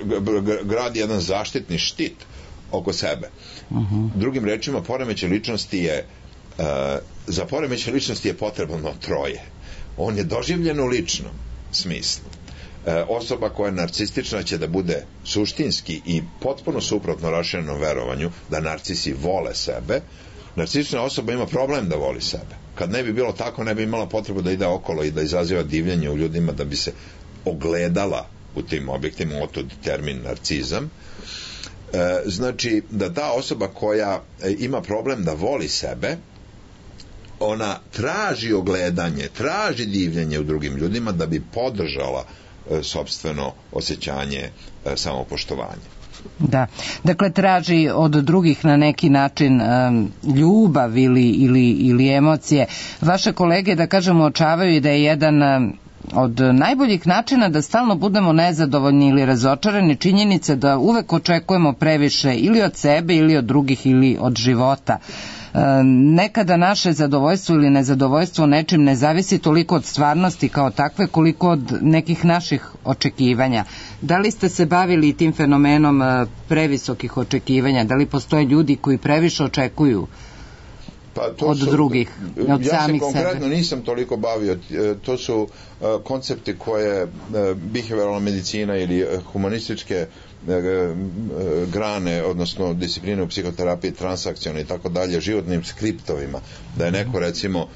gradi jedan zaštitni štit oko sebe. Uh-huh. Drugim rečima, poremećaj ličnosti je uh, za poremećaj ličnosti je potrebno troje. On je doživljen u ličnom smislu. E, osoba koja je narcistična će da bude suštinski i potpuno suprotno raširenom verovanju da narcisi vole sebe. Narcistična osoba ima problem da voli sebe. Kad ne bi bilo tako, ne bi imala potrebu da ide okolo i da izaziva divljenje u ljudima da bi se ogledala u tim objektima, otod termin narcizam. E, znači da ta osoba koja ima problem da voli sebe, ona traži ogledanje, traži divljenje u drugim ljudima da bi podržala e, sopstveno osjećanje e, samopoštovanja. Da, dakle traži od drugih na neki način um, ljubav ili, ili, ili emocije. Vaše kolege, da kažemo, očavaju da je jedan um, od najboljih načina da stalno budemo nezadovoljni ili razočarani činjenice da uvek očekujemo previše ili od sebe ili od drugih ili od života. Nekada naše zadovoljstvo ili nezadovoljstvo nečim ne zavisi toliko od stvarnosti kao takve koliko od nekih naših očekivanja. Da li ste se bavili tim fenomenom previsokih očekivanja? Da li postoje ljudi koji previše očekuju pa to od su, drugih, od ja samih se konkretno sebe? Nisam toliko bavio. To su uh, koncepti koje uh, behavioralna medicina ili uh, humanističke grane, odnosno discipline u psihoterapiji, transakcione i tako dalje, životnim skriptovima, da je neko recimo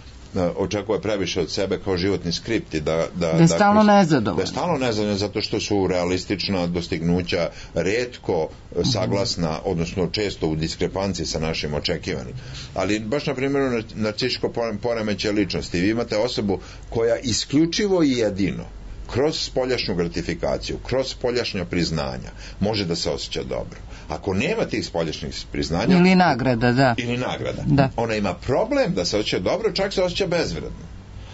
očekuje previše od sebe kao životni skripti, da, da, da je stalno nezadovoljno. Da je stalno nezadovoljno zato što su realistična dostignuća retko saglasna, odnosno često u diskrepanciji sa našim očekivanim. Ali baš na primjeru narcističko poremećaj ličnosti, vi imate osobu koja isključivo i jedino kroz spoljašnju gratifikaciju, kroz spoljašnja priznanja može da se osjeća dobro. Ako nema tih spoljašnjih priznanja... Ili nagrada, da. Ili nagrada. Da. Ona ima problem da se osjeća dobro, čak se osjeća bezvredno.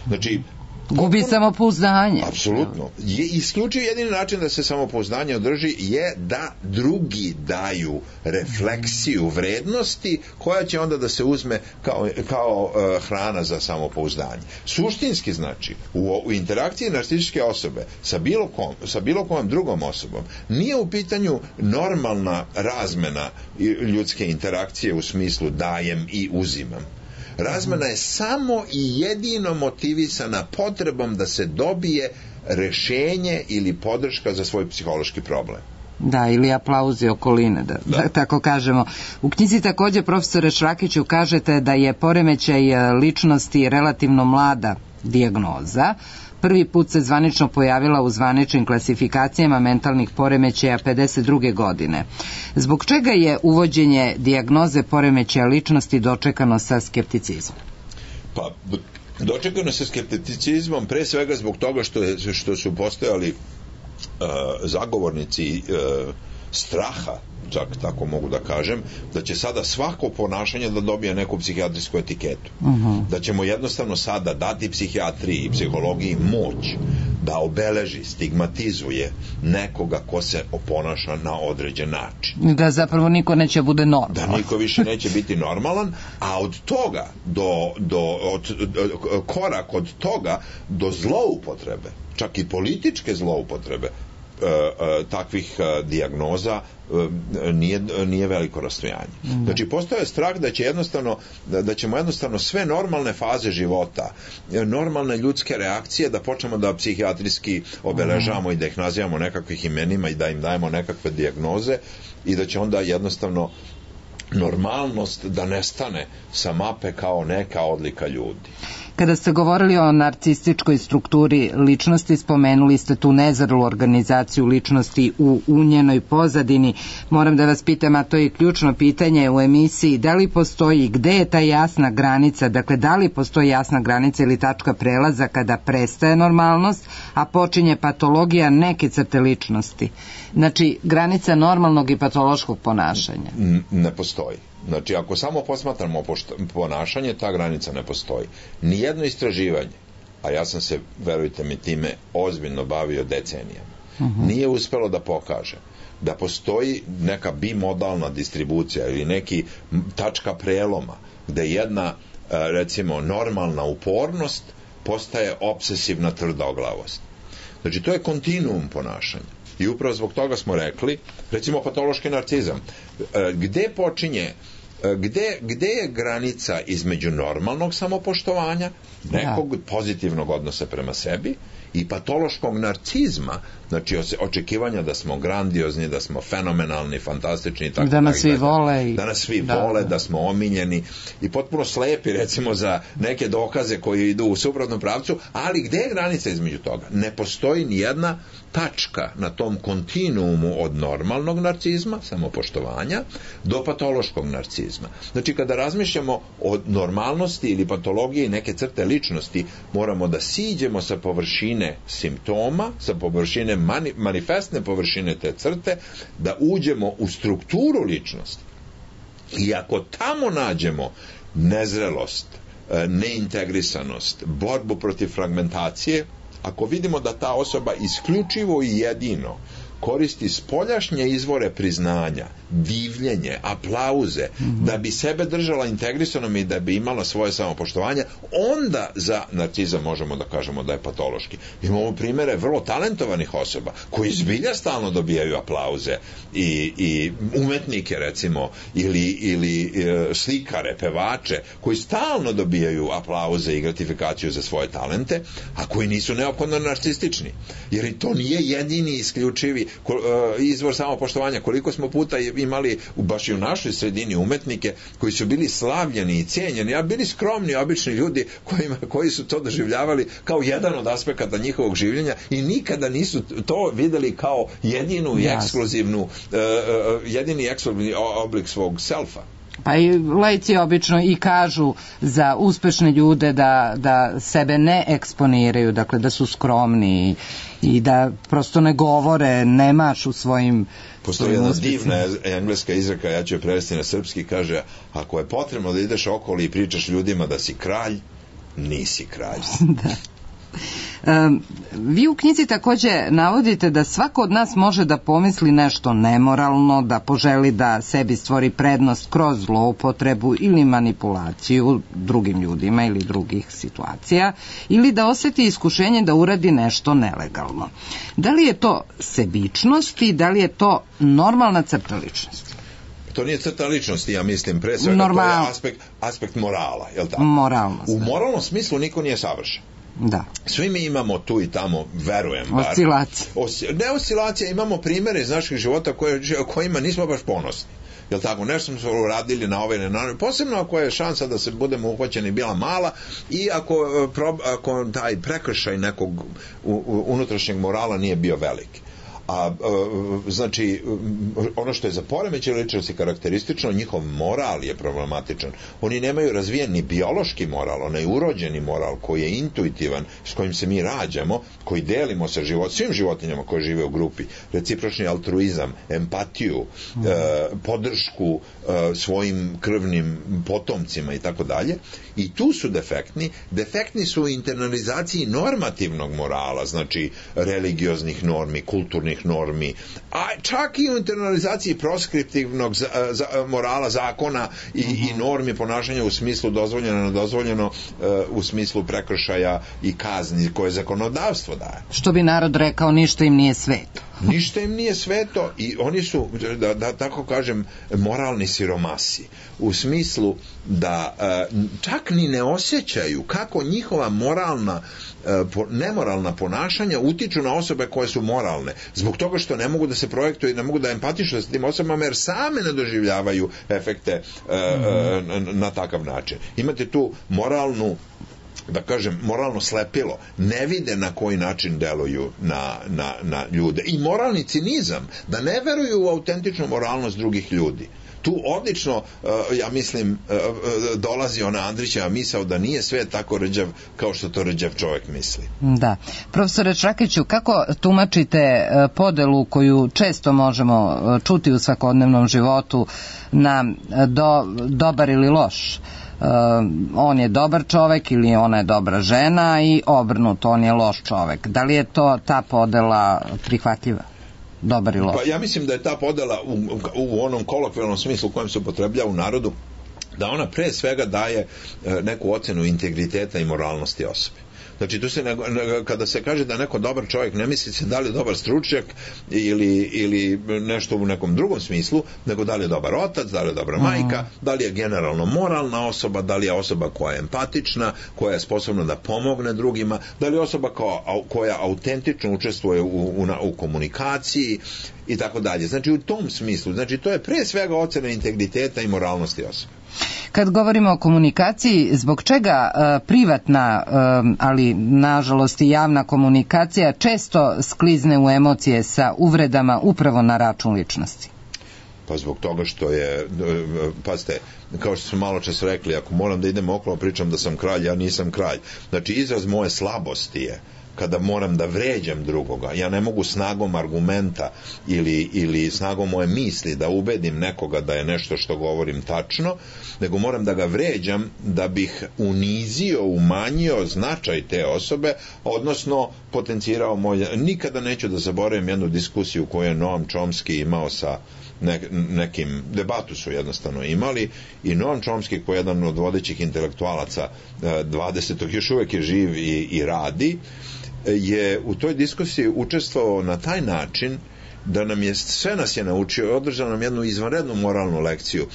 Znači... Gubi samopouzdanje. Apsolutno. Je isključiv jedini način da se samopouzdanje održi je da drugi daju refleksiju vrednosti koja će onda da se uzme kao, kao uh, hrana za samopouzdanje. Suštinski znači u, u interakciji narcističke osobe sa bilo kom, sa bilo kojom drugom osobom nije u pitanju normalna razmena ljudske interakcije u smislu dajem i uzimam. Razmena je samo i jedino motivisana potrebom da se dobije rešenje ili podrška za svoj psihološki problem. Da, ili aplauzi okoline, da, da. da tako kažemo. U knjizi takođe, profesore Šrakiću, kažete da je poremećaj ličnosti relativno mlada dijagnoza. Prvi put se zvanično pojavila u zvaničnim klasifikacijama mentalnih poremećaja pedeset druge godine. Zbog čega je uvođenje dijagnoze poremećaja ličnosti dočekano sa skepticizmom? Pa, dočekano sa skepticizmom pre svega zbog toga što, je, što su postojali uh, zagovornici uh, straha, čak tako mogu da kažem, da će sada svako ponašanje da dobije neku psihijatrijsku etiketu. Uh-huh. Da ćemo jednostavno sada dati psihijatriji i psihologiji moć da obeleži, stigmatizuje nekoga ko se oponaša na određen način. Da zapravo niko neće bude normalan. Da niko više neće biti normalan, a od toga do, do od, od, korak od toga do zloupotrebe, čak i političke zloupotrebe takvih dijagnoza nije, nije veliko rastojanje. Mm. Znači, postoje strah da će jednostavno, da, da ćemo jednostavno sve normalne faze života, normalne ljudske reakcije da počnemo da psihijatrijski obeležavamo mm. i da ih nazivamo nekakvih imenima i da im dajemo nekakve dijagnoze i da će onda jednostavno normalnost da nestane sa mape kao neka odlika ljudi. Kada ste govorili o narcističkoj strukturi ličnosti, spomenuli ste tu nezrelu organizaciju ličnosti u unjenoj pozadini. Moram da vas pitam, a to je ključno pitanje u emisiji, da li postoji, gde je ta jasna granica, dakle da li postoji jasna granica ili tačka prelaza kada prestaje normalnost, a počinje patologija neke crte ličnosti? Znači, granica normalnog i patološkog ponašanja. Ne postoji. Znači, ako samo posmatramo ponašanje, ta granica ne postoji. Nijedno istraživanje, a ja sam se, verujte mi, time ozbiljno bavio decenijama, uh-huh. nije uspelo da pokaže da postoji neka bimodalna distribucija ili neki tačka preloma gde jedna, recimo, normalna upornost postaje obsesivna tvrdoglavost. Znači, to je kontinuum ponašanja. I upravo zbog toga smo rekli, recimo patološki narcizam, gde počinje, gde, gde je granica između normalnog samopoštovanja, nekog pozitivnog odnosa prema sebi i patološkog narcizma, znači očekivanja da smo grandiozni, da smo fenomenalni, fantastični i tako da nas svi vole i... da nas svi da, vole, da. da smo omiljeni i potpuno slepi recimo za neke dokaze koji idu u suprotnom pravcu, ali gde je granica između toga? Ne postoji ni jedna tačka na tom kontinuumu od normalnog narcizma, samopoštovanja, do patološkog narcizma. Znači, kada razmišljamo o normalnosti ili patologiji neke crte ličnosti, moramo da siđemo sa površine simptoma, sa površine mani, manifestne površine te crte, da uđemo u strukturu ličnosti. I ako tamo nađemo nezrelost, neintegrisanost, borbu protiv fragmentacije, ako vidimo da ta osoba isključivo i jedino koristi spoljašnje izvore priznanja, divljenje, aplauze, mm-hmm. da bi sebe držala integrisanom i da bi imala svoje samopoštovanje, onda za narcizam možemo da kažemo da je patološki. Imamo primere vrlo talentovanih osoba koji zbilja stalno dobijaju aplauze i, i umetnike recimo ili, ili e, slikare, pevače koji stalno dobijaju aplauze i gratifikaciju za svoje talente, a koji nisu neophodno narcistični. Jer to nije jedini isključivi izvor samopoštovanja. Koliko smo puta imali baš i u našoj sredini umetnike koji su bili slavljeni i cijenjeni, a bili skromni, obični ljudi kojima, koji su to doživljavali kao jedan od aspekata njihovog življenja i nikada nisu to videli kao jedinu i ekskluzivnu, uh, jedini ekskluzivni oblik svog selfa. Pa i laici obično i kažu za uspešne ljude da, da sebe ne eksponiraju, dakle da su skromni i da prosto ne govore, ne mašu svojim... Postoji jedna divna engleska izreka, ja ću je prevesti na srpski, kaže, ako je potrebno da ideš okolo i pričaš ljudima da si kralj, nisi kralj. Da. Um, vi u knjizi takođe navodite da svako od nas može da pomisli nešto nemoralno, da poželi da sebi stvori prednost kroz zloupotrebu ili manipulaciju drugim ljudima ili drugih situacija, ili da oseti iskušenje da uradi nešto nelegalno. Da li je to sebičnost i da li je to normalna crta ličnosti? To nije crta ličnosti, ja mislim, pre svega Normal... to je aspekt, aspekt morala, je li tako? Moralnost. U moralnom smislu niko nije savršen. Da. Svi mi imamo tu i tamo, verujem bar. Oscilacije. Os, ne oscilacije, imamo primere iz naših života koje, kojima nismo baš ponosni. Jel tako, nešto smo uradili na ovaj, na ovaj, posebno ako je šansa da se budemo uhvaćeni bila mala i ako, ako taj prekršaj nekog unutrašnjeg morala nije bio veliki. A, znači, ono što je za poremećaj ličnosti karakteristično, njihov moral je problematičan. Oni nemaju razvijen ni biološki moral, onaj urođeni moral koji je intuitivan, s kojim se mi rađamo, koji delimo sa život, svim životinjama koje žive u grupi, recipročni altruizam, empatiju, mm. e, podršku e, svojim krvnim potomcima i tako dalje. I tu su defektni. Defektni su u internalizaciji normativnog morala, znači religioznih normi, kulturnih normi, a čak i u internalizaciji proskriptivnog za, za, morala, zakona i, mm-hmm. i normi ponašanja u smislu dozvoljeno, nedozvoljeno, uh, u smislu prekršaja i kazni koje zakonodavstvo daje. Što bi narod rekao, ništa im nije sveto. Ništa im nije sveto i oni su, da, da tako kažem, moralni siromasi. U smislu da uh, čak ni ne osjećaju kako njihova moralna, uh, nemoralna ponašanja utiču na osobe koje su moralne. Zbog toga što ne mogu da se projektuju i ne mogu da empatišu sa tim osobama jer same ne doživljavaju efekte uh, mm-hmm. uh, na, na takav način. Imate tu moralnu da kažem, moralno slepilo, ne vide na koji način deluju na, na, na ljude. I moralni cinizam, da ne veruju u autentičnu moralnost drugih ljudi. Tu odlično, ja mislim, dolazi ona Andrićeva misao da nije sve tako rđav kao što to rđav čovjek misli. Da. Profesore Čakiću, kako tumačite podelu koju često možemo čuti u svakodnevnom životu na do, dobar ili loš? Uh, on je dobar čovek ili ona je dobra žena i obrnuto, on je loš čovek. Da li je to ta podela prihvatljiva? Dobar i loš? Pa ja mislim da je ta podela u, u onom kolokvijalnom smislu u kojem se upotrebljava u narodu, da ona pre svega daje neku ocenu integriteta i moralnosti osobe. Znači, tu se, kada se kaže da neko dobar čovjek, ne misli se da li je dobar stručnjak ili, ili nešto u nekom drugom smislu, nego da li je dobar otac, da li je dobra majka, da li je generalno moralna osoba, da li je osoba koja je empatična, koja je sposobna da pomogne drugima, da li je osoba kao, koja autentično učestvuje u, u, u komunikaciji i tako dalje. Znači, u tom smislu, znači, to je pre svega ocena integriteta i moralnosti osobe. Kad govorimo o komunikaciji, zbog čega uh, privatna, uh, ali nažalost i javna komunikacija često sklizne u emocije sa uvredama upravo na račun ličnosti? Pa zbog toga što je, pazite, kao što smo malo čas rekli, ako moram da idem okolo, pričam da sam kralj, ja nisam kralj. Znači, izraz moje slabosti je kada moram da vređam drugoga. Ja ne mogu snagom argumenta ili, ili snagom moje misli da ubedim nekoga da je nešto što govorim tačno, nego moram da ga vređam da bih unizio, umanjio značaj te osobe, odnosno potencirao moj... Nikada neću da zaboravim jednu diskusiju koju je Noam Chomsky imao sa ne, nekim, debatu su jednostavno imali, i Noam Chomsky, koji je jedan od vodećih intelektualaca dvadesetog još uvek je živ i, i radi, je u toj diskusiji učestvovao na taj način da nam je, sve nas je naučio, održao nam jednu izvanrednu moralnu lekciju.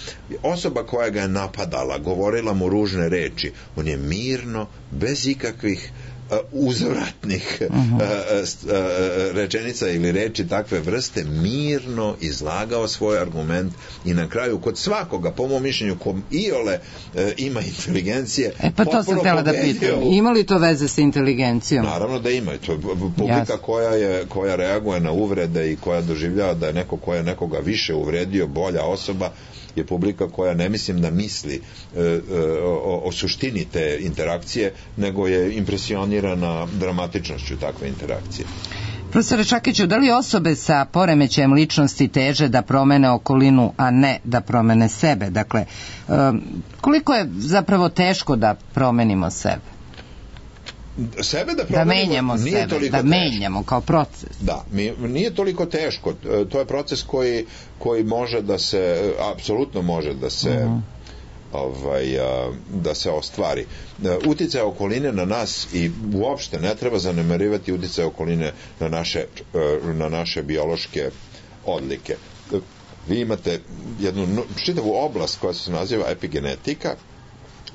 Osoba koja ga je napadala, govorila mu ružne reči, on je mirno, bez ikakvih uh, uzvratnih uh, uh, uh, rečenica ili reči takve vrste, mirno izlagao svoj argument i na kraju kod svakoga, po mom mišljenju, kom iole uh, ima inteligencije, e, pa to sam htjela da pitam. Ima li to veze sa inteligencijom? Naravno da ima. To je publika koja, je, koja reaguje na uvrede i koja doživljava da je neko koja nekoga više uvredio, bolja osoba, je publika koja ne mislim da misli e, e, o, o suštini te interakcije, nego je impresionirana dramatičnošću takve interakcije. Profesore Čakiću, da li osobe sa poremećajem ličnosti teže da promene okolinu, a ne da promene sebe? Dakle, e, koliko je zapravo teško da promenimo sebe? Sebe da promenimo, da menjamo nije sebe, toliko da teško. menjamo kao proces. Da, mi, nije toliko teško. To je proces koji, koji može da se, apsolutno može da se uh-huh. ovaj, da se ostvari. Uticaj okoline na nas, i uopšte ne treba zanemarivati uticaj okoline na naše, na naše biološke odlike. Vi imate jednu čitavu oblast koja se naziva epigenetika,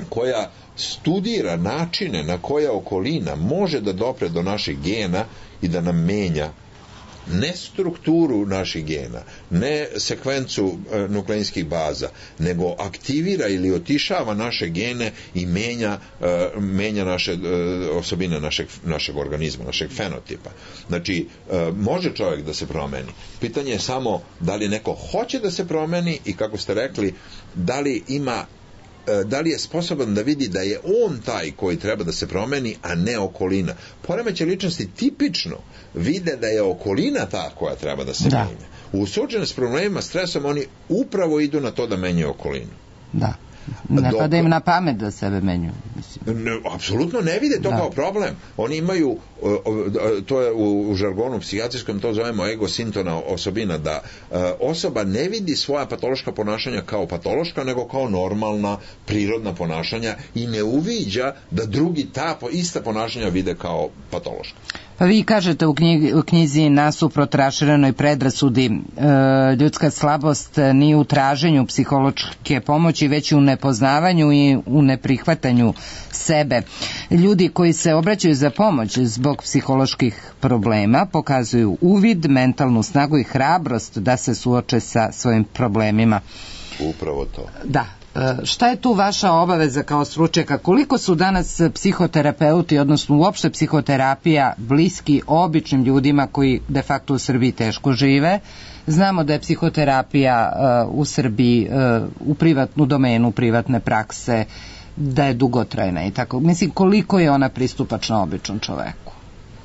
koja studira načine na koje okolina može da dopre do naših gena i da nam menja ne strukturu naših gena, ne sekvencu e, nukleinskih baza, nego aktivira ili otišava naše gene i menja, e, menja naše e, osobine našeg, našeg organizma, našeg fenotipa. Znači, e, može čovjek da se promeni. Pitanje je samo da li neko hoće da se promeni i, kako ste rekli, da li ima da li je sposoban da vidi da je on taj koji treba da se promeni, a ne okolina. Poremećaj ličnosti tipično vide da je okolina ta koja treba da se da. menja. U suočenju s problemima, stresom, oni upravo idu na to da menjaju okolinu. Da. Ne pada im na pamet da sebe menju. Ne, apsolutno ne vide to da. kao problem. Oni imaju, to je u, u žargonu psihijatrijskom, to zovemo egosintona osobina, da osoba ne vidi svoja patološka ponašanja kao patološka, nego kao normalna, prirodna ponašanja, i ne uviđa da drugi ta ista ponašanja vide kao patološka. Pa vi kažete u, knjigi, u knjizi Nasuprot raširenoj predrasudi, e, ljudska slabost nije u traženju psihološke pomoći, već u nepoznavanju i u neprihvatanju sebe. Ljudi koji se obraćaju za pomoć zbog psiholoških problema pokazuju uvid, mentalnu snagu i hrabrost da se suoče sa svojim problemima. Upravo to. Da. Šta je tu vaša obaveza kao stručnjaka? Koliko su danas psihoterapeuti, odnosno uopšte psihoterapija, bliski običnim ljudima koji de facto u Srbiji teško žive? Znamo da je psihoterapija uh, u Srbiji uh, u privatnu domenu, privatne prakse, da je dugotrajna i tako. Mislim, koliko je ona pristupačna običnom čoveku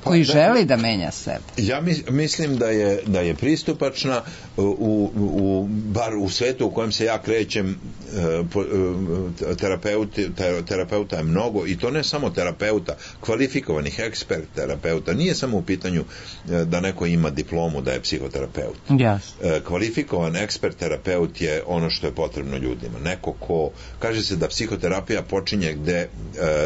koji da, želi da menja sebe? Ja mislim da je, da je pristupačna u, u, bar u svetu u kojem se ja krećem. Terapeuti, terapeuta je mnogo, i to ne samo terapeuta, kvalifikovanih ekspert terapeuta. Nije samo u pitanju da neko ima diplomu da je psihoterapeut. Yes. Kvalifikovan ekspert terapeut je ono što je potrebno ljudima. Neko ko, kaže se da psihoterapija počinje gde,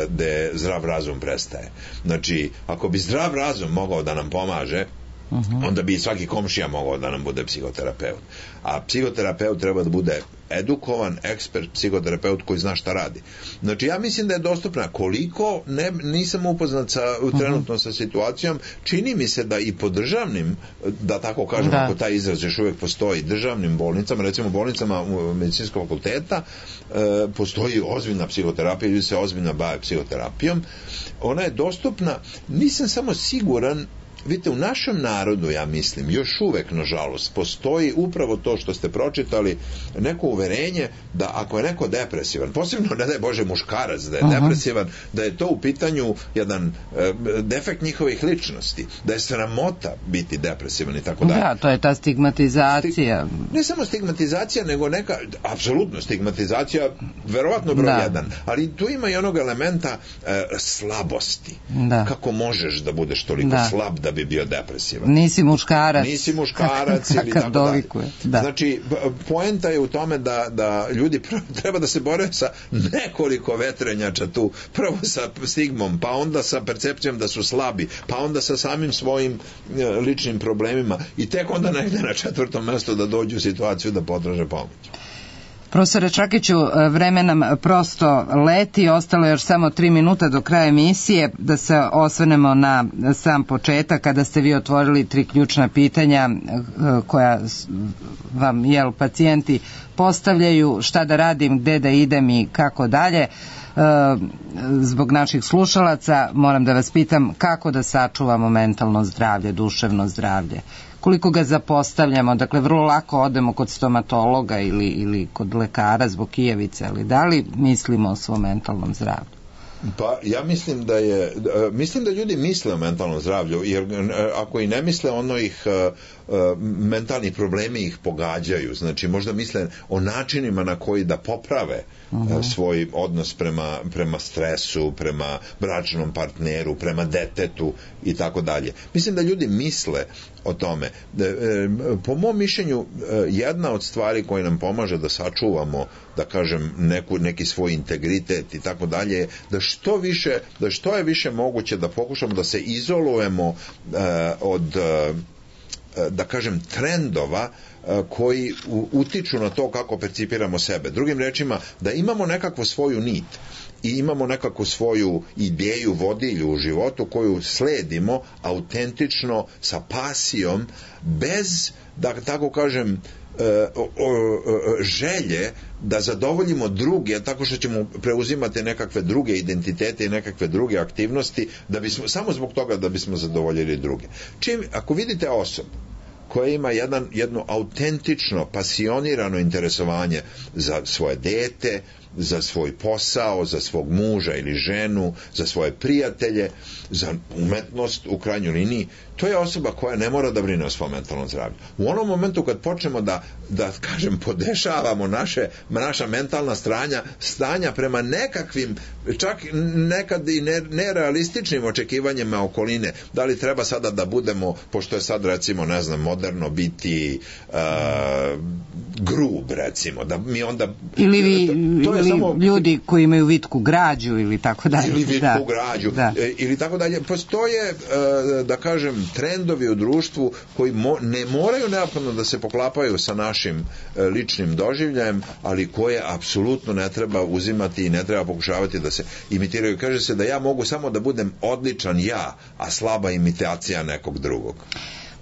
gde zdrav razum prestaje. Znači, ako bi zdrav razum mogao da nam pomaže, uh-huh. onda bi svaki komšija mogao da nam bude psihoterapeut. A psihoterapeut treba da bude edukovan, ekspert, psihoterapeut koji zna šta radi. Znači, ja mislim da je dostupna. Koliko, ne, nisam upoznat sa, trenutno sa situacijom, čini mi se da i po državnim, da tako kažem, da. Ako taj izraz još uvijek postoji, državnim bolnicama, recimo bolnicama medicinskog fakulteta, e, postoji ozbiljna psihoterapija, ljudi se ozbiljno bave psihoterapijom. Ona je dostupna, nisam samo siguran. Vidite, u našem narodu, ja mislim, još uvek, nažalost, postoji upravo to što ste pročitali, neko uverenje da ako je neko depresivan, posebno, ne daj Bože, muškarac da je uh-huh. depresivan, da je to u pitanju jedan e, defekt njihovih ličnosti, da je sramota biti depresivan i tako dalje. Da, to je ta stigmatizacija. Sti, ne samo stigmatizacija, nego neka, apsolutno stigmatizacija, verovatno broj da. jedan, ali tu ima i onog elementa e, slabosti. Da. Kako možeš da budeš toliko da. slab da bi bio depresivan. Nisi muškarac. Nisi muškarac ili tako dalje. Da. Znači, poenta je u tome da, da ljudi prvo treba da se bore sa nekoliko vetrenjača tu. Prvo sa stigmom, pa onda sa percepcijom da su slabi, pa onda sa samim svojim ličnim problemima i tek onda negde na četvrtom mjestu da dođu u situaciju da potraže pomoć. Profesore Čakiću, vreme nam prosto leti, ostalo je još samo tri minuta do kraja emisije, da se osvrnemo na sam početak, kada ste vi otvorili tri ključna pitanja koja vam, jel, pacijenti postavljaju, šta da radim, gde da idem i kako dalje. Zbog naših slušalaca moram da vas pitam kako da sačuvamo mentalno zdravlje, duševno zdravlje. Koliko ga zapostavljamo, dakle vrlo lako odemo kod stomatologa ili, ili kod lekara zbog kijevice, ali da li mislimo o svom mentalnom zdravlju? Pa ja mislim da je, mislim da ljudi misle o mentalnom zdravlju, jer ako i ne misle, ono ih, mentalni problemi ih pogađaju, znači možda misle o načinima na koji da poprave uh-huh. svoj odnos prema, prema stresu, prema bračnom partneru, prema detetu i tako dalje. Mislim da ljudi misle o tome. Po mom mišljenju, jedna od stvari koja nam pomaže da sačuvamo, da kažem, neku, neki svoj integritet i tako dalje, da što više, da što je više moguće da pokušamo da se izolujemo uh, od uh, da kažem trendova koji utiču na to kako percipiramo sebe. Drugim rečima, da imamo nekakvu svoju nit i imamo nekakvu svoju ideju, vodilju u životu koju sledimo autentično, sa pasijom, bez, da tako kažem, želje da zadovoljimo druge tako što ćemo preuzimati nekakve druge identitete i nekakve druge aktivnosti da bismo, samo zbog toga da bismo zadovoljili druge. Čim, ako vidite osobu koja ima jedan, jedno autentično, pasionirano interesovanje za svoje dete, za svoj posao, za svog muža ili ženu, za svoje prijatelje, za umetnost u krajnjoj liniji, to je osoba koja ne mora da brine o svom mentalnom zdravlju. U onom momentu kad počnemo da, da kažem, podešavamo naše, naša mentalna stranja, stanja prema nekakvim, čak nekad i nerealističnim očekivanjima okoline, da li treba sada da budemo, pošto je sad recimo, ne znam, moderno biti uh, grub, recimo, da mi onda... Ili vi, to, to ili samo, ljudi koji imaju vitku građu ili tako dalje. Ili vitku da, građu, da. E, ili tako dalje. Postoje, uh, da kažem, trendovi u društvu koji mo, ne moraju neophodno da se poklapaju sa našim uh, ličnim doživljajem, ali koje apsolutno ne treba uzimati i ne treba pokušavati da se imitiraju. Kaže se da ja mogu samo da budem odličan ja, a slaba imitacija nekog drugog.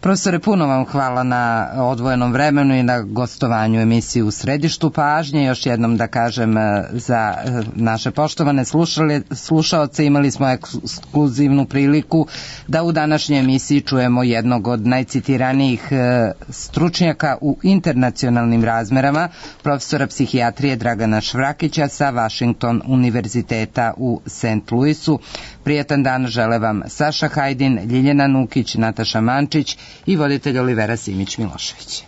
Profesore, puno vam hvala na odvojenom vremenu i na gostovanju emisiji U središtu pažnje. Još jednom da kažem za naše poštovane slušaoce, imali smo ekskluzivnu priliku da u današnjoj emisiji čujemo jednog od najcitiranijih stručnjaka u internacionalnim razmerama, profesora psihijatrije Dragana Švrakića sa Washington univerziteta u Saint Louisu. Prijetan dan žele vam Saša Hajdin, Ljiljana Nukić, Nataša Mančić i voditelj Olivera Simić Milošević.